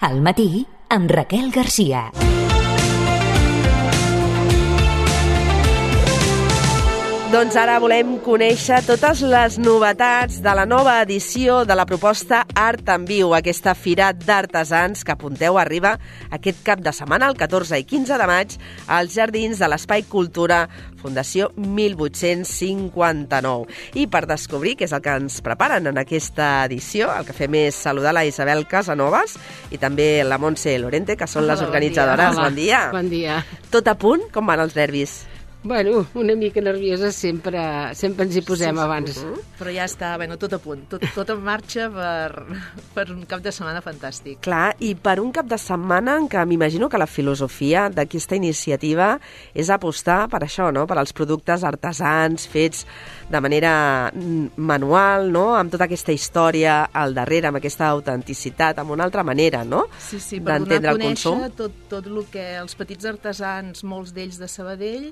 Al matí, amb Raquel Garcia. Doncs ara volem conèixer totes les novetats de la nova edició de la proposta Art en Viu, aquesta fira d'artesans que apunteu arriba aquest cap de setmana, el 14 i 15 de maig, als jardins de l'Espai Cultura Fundació 1859. I per descobrir què és el que ens preparen en aquesta edició, el que fem és saludar la Isabel Casanovas i també la Montse Lorente, que són les organitzadores. Bon dia. Bon dia. Tot a punt? Com van els nervis? Bueno, una mica nerviosa sempre ens hi posem abans. Però ja està, tot a punt, tot en marxa per un cap de setmana fantàstic. Clar, i per un cap de setmana en què m'imagino que la filosofia d'aquesta iniciativa és apostar per això, no? Per als productes artesans fets de manera manual, no? Amb tota aquesta història al darrere, amb aquesta autenticitat, amb una altra manera, no? Sí, per donar a conèixer tot el que els petits artesans, molts d'ells de Sabadell,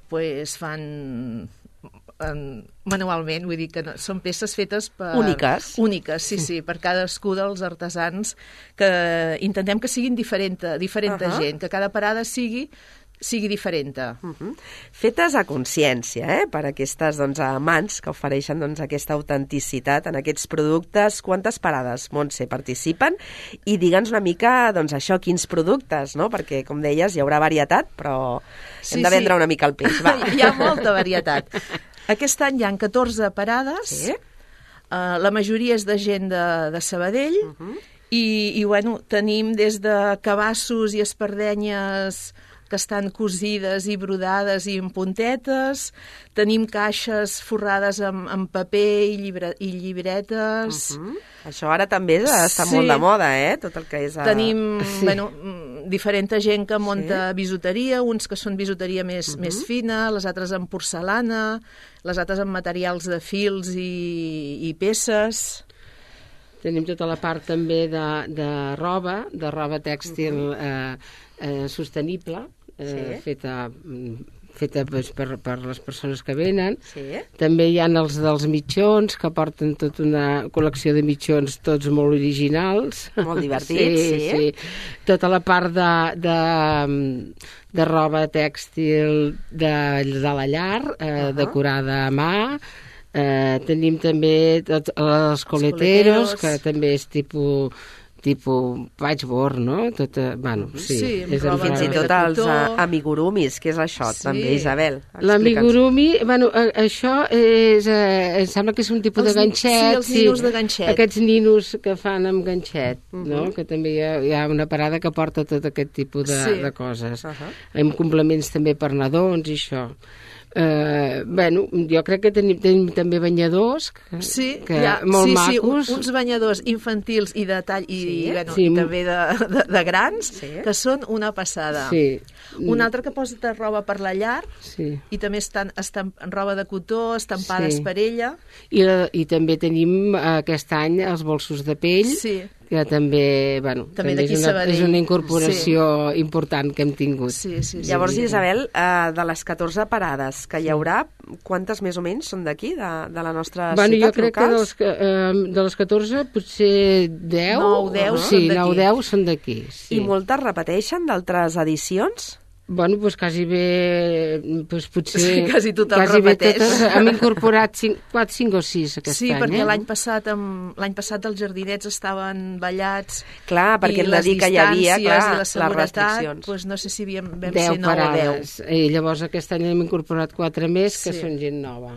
pues fan manualment, vull dir que no, són peces fetes per... Úniques, sí, per cadascú dels artesans, que intentem que siguin diferent gent, que cada parada sigui diferent. Fetes a consciència, per aquestes mans que ofereixen aquesta autenticitat en aquests productes. Quantes parades, Montse, participen? I digue'ns una mica, això, quins productes, no? Perquè, com deies, hi haurà varietat, però hem de vendre una mica el peix. Va. Hi ha molta varietat. Aquest any hi ha 14 parades, la majoria és de gent de Sabadell, i tenim des de cabassos i espardenyes que estan cosides i brodades i amb puntetes, tenim caixes forrades amb paper i llibretes. Això ara també està molt de moda, tot el que és... Tenim diferent gent que munta bisuteria, uns que són bisuteria més fina, les altres amb porcelana, les altres amb materials de fils i peces. Tenim tota la part també de roba tèxtil sostenible, feta per les persones que venen. També hi ha els dels mitjons, que porten tota una col·lecció de mitjons, tots molt originals. Molt divertits, sí. Tota la part de roba tèxtil de la llar, decorada a mà. Tenim també tots els coleteros, que també és tipus patchwork, no? Fins i tot els amigurumis, que és això, també, Isabel. L'amigurumi, això em sembla que és un tipus de ganxet. Sí, els ninos de ganxet. Aquests ninos que fan amb ganxet, no? Que també hi ha una parada que porta tot aquest tipus de coses. Amb complements també per nadons i això. Jo crec que tenim també banyadors molt macos. Uns banyadors infantils i de tall i també de grans, que són una passada. Un altre que posa roba per la llar, i també estan roba de cotó, estampades per ella. I també tenim aquest any els bolsos de pell, que també és una incorporació important que hem tingut. Llavors, Isabel, de les 14 parades que hi haurà, quantes més o menys són d'aquí, de la nostra ciutat local? Jo crec que de les 14 potser 10. 9-10 són d'aquí. I moltes repeteixen d'altres edicions? Quasi bé, potser... Quasi tothom repeteix. Hem incorporat 5 o 6 aquest any. Sí, perquè l'any passat els jardinets estaven ballats. Clar, perquè hem de dir que hi havia les restriccions. No sé si vam ser 10 parades. I llavors aquest any hem incorporat 4 més, que són gent nova.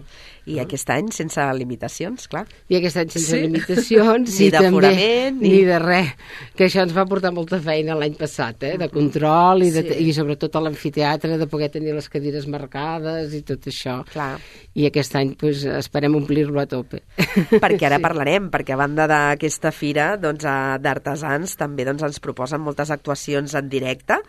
I aquest any sense limitacions, clar. I aquest any sense limitacions. Ni d'aforament. Ni de res. Que això ens va portar molta feina l'any passat, de control i sobretot a l'amfiteatre, de poder tenir les cadires marcades i tot això. Clar. I aquest any esperem omplir-lo a tope. Perquè ara parlarem, perquè a banda d'aquesta fira d'artesans també ens proposen moltes actuacions en directe,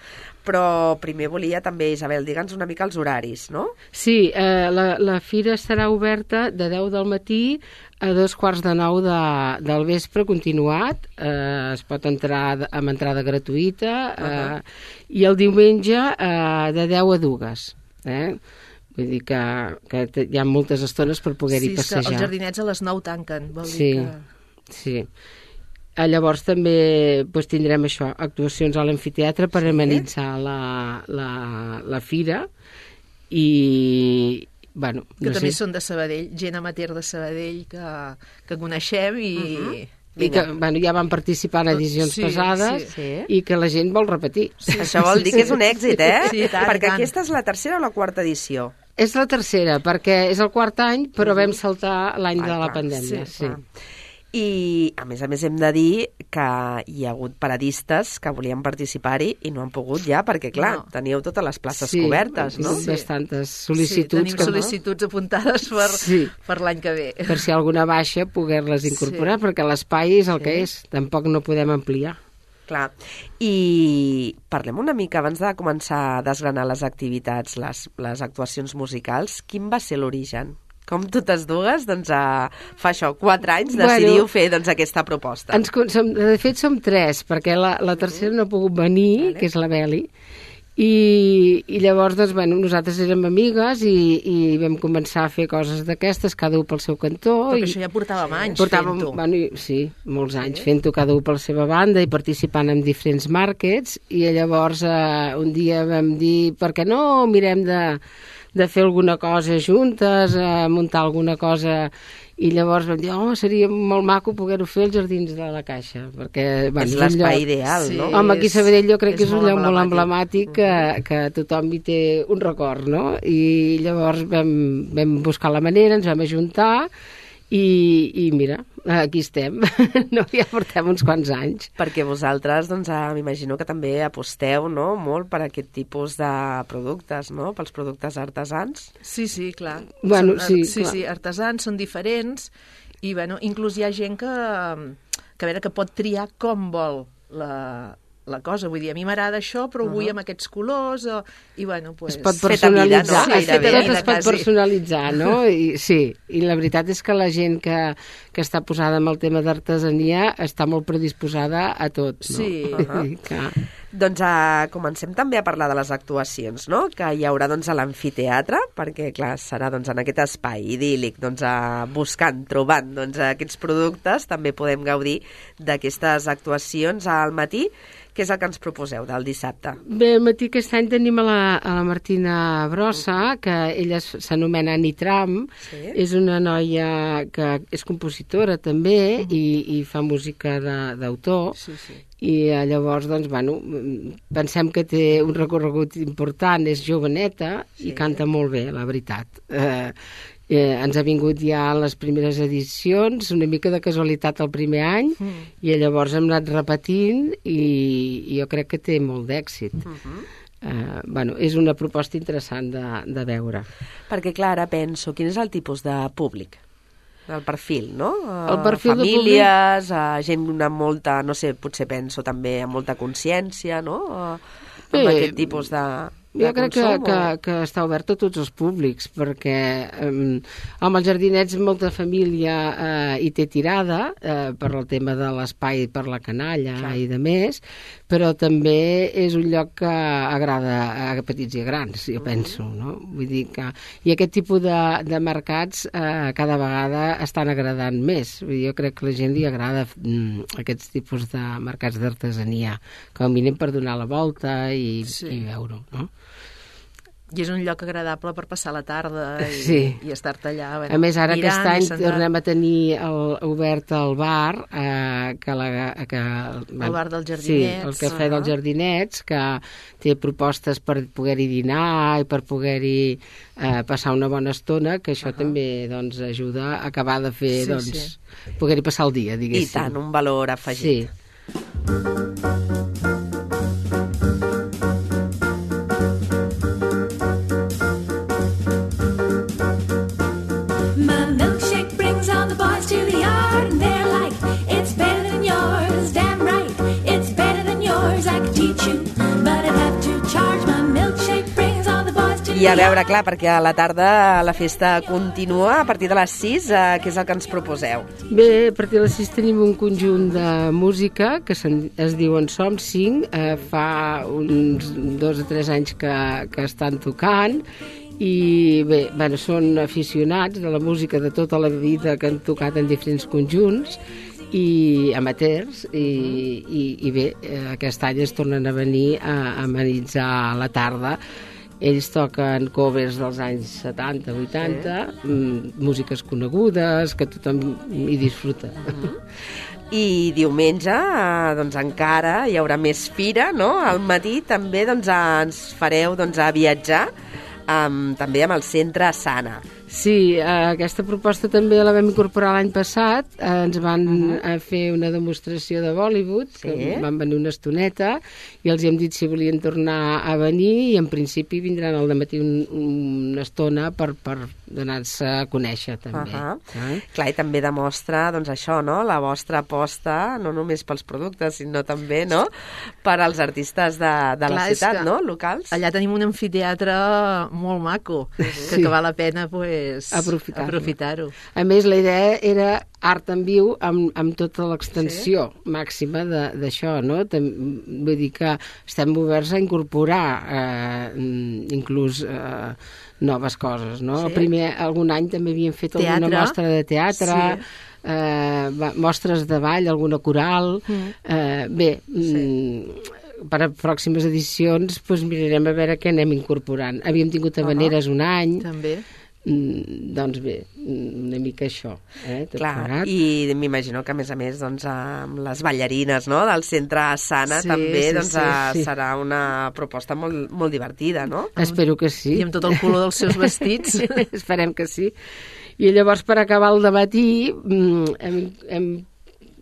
però primer volia també, Isabel, digue'ns una mica els horaris, no? Sí, la fira estarà oberta de 10 del matí a 2:45 del vespre continuat. Es pot entrar amb entrada gratuïta i el diumenge de 10 a 2. Vull dir que hi ha moltes estones per poder-hi passejar. Sí, els jardinets a les 9 tanquen, vol dir que... Sí. Llavors també tindrem això, actuacions a l'amfiteatre per amenitzar la fira i... Bueno, que també són de Sabadell, gent amateur de Sabadell que coneixem i... I que ja van participar en edicions passades i que la gent vol repetir. Això vol dir que és un èxit, perquè aquesta és la tercera o la quarta edició? És la tercera, perquè és el quart any, però vam saltar l'any de la pandèmia. Sí. I, a més hem de dir que hi ha hagut paradistes que volien participar-hi i no han pogut ja, perquè, clar, teníeu totes les places cobertes, no? Sí, bastantes sol·licituds. Tenim sol·licituds apuntades per l'any que ve. Per si alguna baixa, poder-les incorporar, perquè l'espai és el que és, tampoc no podem ampliar. Clar, i parlem una mica, abans de començar a desgranar les activitats, les actuacions musicals, quin va ser l'origen? Com totes dues, doncs fa això, 4 anys decidiu fer aquesta proposta. De fet som 3, perquè la tercera no ha pogut venir, que és la Beli, i llavors nosaltres érem amigues i vam començar a fer coses d'aquestes, cada un pel seu cantó. Perquè això ja portàvem anys fent-ho. Sí, molts anys fent-ho, cada un per la seva banda i participant en diferents markets, i llavors un dia vam dir, per què no mirem de fer alguna cosa juntes, muntar alguna cosa, i llavors vam dir, seria molt maco poder-ho fer als Jardins de la Caixa, perquè és l'espai ideal, no? Home, aquí a Sabadell jo crec que és un lloc molt emblemàtic que tothom hi té un record, no? I llavors vam buscar la manera, ens vam ajuntar, i mira, aquí estem. Ja portem uns quants anys. Perquè vosaltres, m'imagino que també aposteu, no?, molt per aquest tipus de productes, no?, pels productes artesans. Sí, clar. Sí, artesans, són diferents, i inclús hi ha gent que pot triar com vol la cosa, vull dir, a mi m'agrada això, però ho vull amb aquests colors, i es pot personalitzar, es pot personalitzar, no? I la veritat és que la gent que està posada amb el tema d'artesania està molt predisposada a tot, no? Sí. Doncs comencem també a parlar de les actuacions, no?, que hi haurà a l'amfiteatre, perquè, clar, serà en aquest espai idíl·lic, buscant, trobant aquests productes, també podem gaudir d'aquestes actuacions al matí. Què és el que ens proposeu del dissabte? Bé, al matí aquest any tenim a la Martina Brossa, que ella s'anomena Nitram, és una noia que és compositora també i fa música d'autor, i llavors, pensem que té un recorregut important, és joveneta i canta molt bé, la veritat. Ens ha vingut ja a les primeres edicions, una mica de casualitat el primer any, i llavors hem anat repetint i jo crec que té molt d'èxit. És una proposta interessant de veure. Perquè, clar, ara penso, quin és el tipus de públic? El perfil, no? El perfil famílies, gent amb molta, no sé, potser penso també amb molta consciència, no? Amb aquest tipus de... Jo crec que està obert a tots els públics, perquè amb els jardinets molta família hi té tirada per el tema de l'espai per la canalla i de més, però també és un lloc que agrada a petits i a grans, jo penso, no? Vull dir que... I aquest tipus de mercats cada vegada estan agradant més. Jo crec que a la gent li agrada aquests tipus de mercats d'artesania, com a mínim per donar la volta i veure-ho, no? I és un lloc agradable per passar la tarda i estar-te allà. A més, ara aquest any tornem a tenir obert el bar, el bar dels Jardinets. Sí, el cafè dels Jardinets, que té propostes per poder-hi dinar i per poder-hi passar una bona estona, que això també ajuda a acabar de fer, poder-hi passar el dia, diguéssim. I tant, un valor afegit. Sí. I a veure, clar, perquè a la tarda la festa continua a partir de les 6, què és el que ens proposeu? Bé, a partir de les 6 tenim un conjunt de música que es diuen Som 5, fa uns 2 o 3 anys que estan tocant, i bé, són aficionats de la música de tota la vida que han tocat en diferents conjunts, i amateurs, i bé, aquest any es tornen a venir a amenitzar la tarda. Ells toquen covers dels anys 70, 80, músiques conegudes, que tothom hi disfruta. I diumenge, doncs encara hi haurà més fira, no? Al matí també doncs, ens fareu viatjar també amb el Centre Sana. Sí, aquesta proposta també la vam incorporar l'any passat. Ens van fer una demostració de Bollywood, que van venir una estoneta, i els hem dit si volien tornar a venir, i en principi vindran al dematí una estona per donar-se a conèixer, també. Clar, i també demostra, doncs això, no?, la vostra aposta, no només pels productes, sinó també, no?, per als artistes de la ciutat, no?, locals. Allà tenim un amfiteatre molt maco, que val la pena, aprofitar-ho. A més, la idea era art en viu amb tota l'extensió màxima d'això, no? Vull dir que estem oberts a incorporar inclús noves coses, no? Primer, algun any també havíem fet alguna mostra de teatre, mostres de ball, alguna coral. Bé, per a pròximes edicions mirarem a veure què anem incorporant. Havíem tingut habaneres un any. També. Doncs bé, una mica això. Clar, i m'imagino que a més amb les ballarines, no?, del Centre Sana també serà una proposta molt divertida, no? Espero que sí. I amb tot el color dels seus vestits. Esperem que sí. I llavors, per acabar el dematí,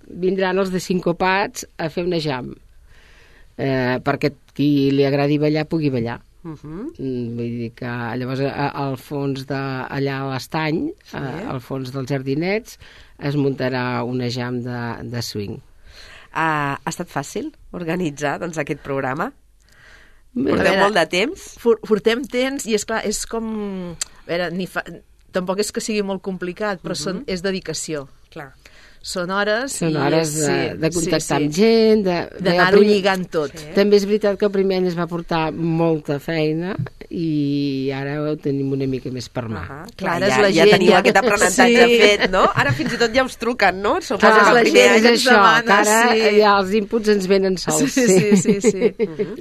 vindran els de Sincopats a fer una jam, perquè qui li agradi ballar pugui ballar. Vull dir que llavors al fons allà a l'estany, al fons dels jardinets, es muntarà una jam de swing. Ha estat fàcil organitzar aquest programa? Porteu molt de temps? Portem temps i esclar, és com... A veure, tampoc és que sigui molt complicat, però és dedicació. Clar. Són hores de contactar amb gent, d'anar-ho lligant tot. També és veritat que el primer any es va portar molta feina i ara ho tenim una mica més per mà. Clar, ja teniu aquest aprenentatge fet, no? Ara fins i tot ja us truquen, no? Clar, la gent és això, que ara ja els inputs ens venen sols. Sí.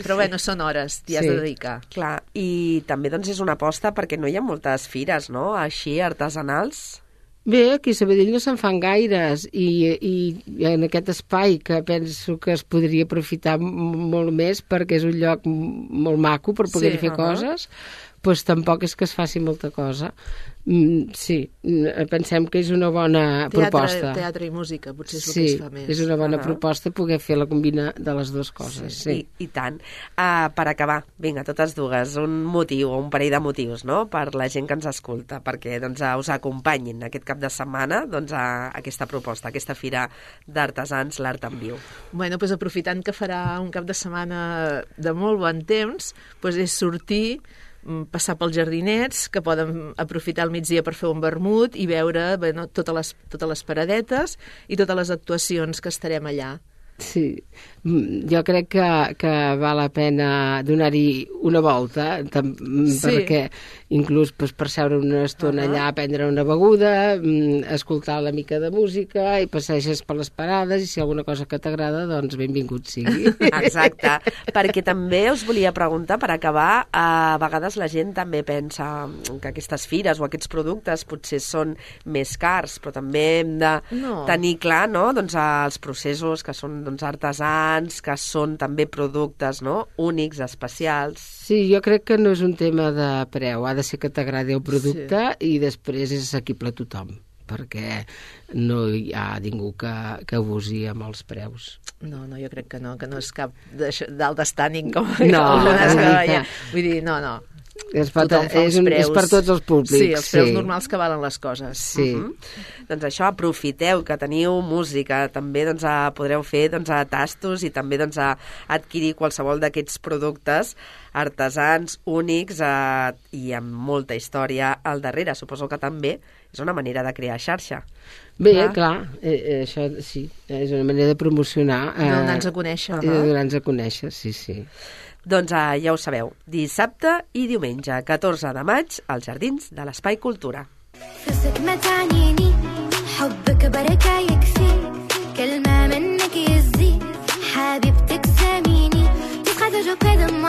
Però bueno, són hores, t'hi has de dedicar. Clar, i també és una aposta perquè no hi ha moltes fires, no?, així, artesanals. Bé, aquí a Sabadell no se'n fan gaires i en aquest espai que penso que es podria aprofitar molt més perquè és un lloc molt maco per poder fer coses, doncs tampoc és que es faci molta cosa. Sí, pensem que és una bona proposta. Teatre i música, potser és el que es fa més. Sí, és una bona proposta poder fer la combina de les dues coses. I tant. Per acabar, vinga, totes dues, un motiu o un parell de motius, no?, per la gent que ens escolta, perquè us acompanyin aquest cap de setmana a aquesta proposta, aquesta fira d'artesans, l'art en viu. Bueno, doncs aprofitant que farà un cap de setmana de molt bon temps, és sortir, passar pels jardinets, que poden aprofitar el migdia per fer un vermut i veure totes les paradetes i totes les actuacions que estarem allà. Sí, jo crec que val la pena donar-hi una volta, perquè inclús per seure una estona allà, prendre una beguda, escoltar una mica de música i passeges per les parades i si alguna cosa que t'agrada, doncs benvingut sigui. Exacte, perquè també us volia preguntar, per acabar, a vegades la gent també pensa que aquestes fires o aquests productes potser són més cars, però també hem de tenir clar, no?, els processos que són artesans, que són també productes, no?, únics, especials. Sí, jo crec que no és un tema de preu, ha de ser que t'agradi el producte i després és assequible a tothom, perquè no hi ha ningú que abusi amb els preus. No, jo crec que no és cap d'alt estànding com algunes que veiem. Vull dir, no. És per tots els públics. Sí, els preus normals que valen les coses. Sí. Doncs això, aprofiteu que teniu música, també podreu fer tastos i també adquirir qualsevol d'aquests productes artesans, únics i amb molta història al darrere. Suposo que també és una manera de crear xarxa. Bé, clar, això sí, és una manera de promocionar. Donar-nos a conèixer. Donar-nos a conèixer, sí. Doncs ja ho sabeu, dissabte i diumenge, 14 de maig, als Jardins de l'Espai Cultura. lo que demás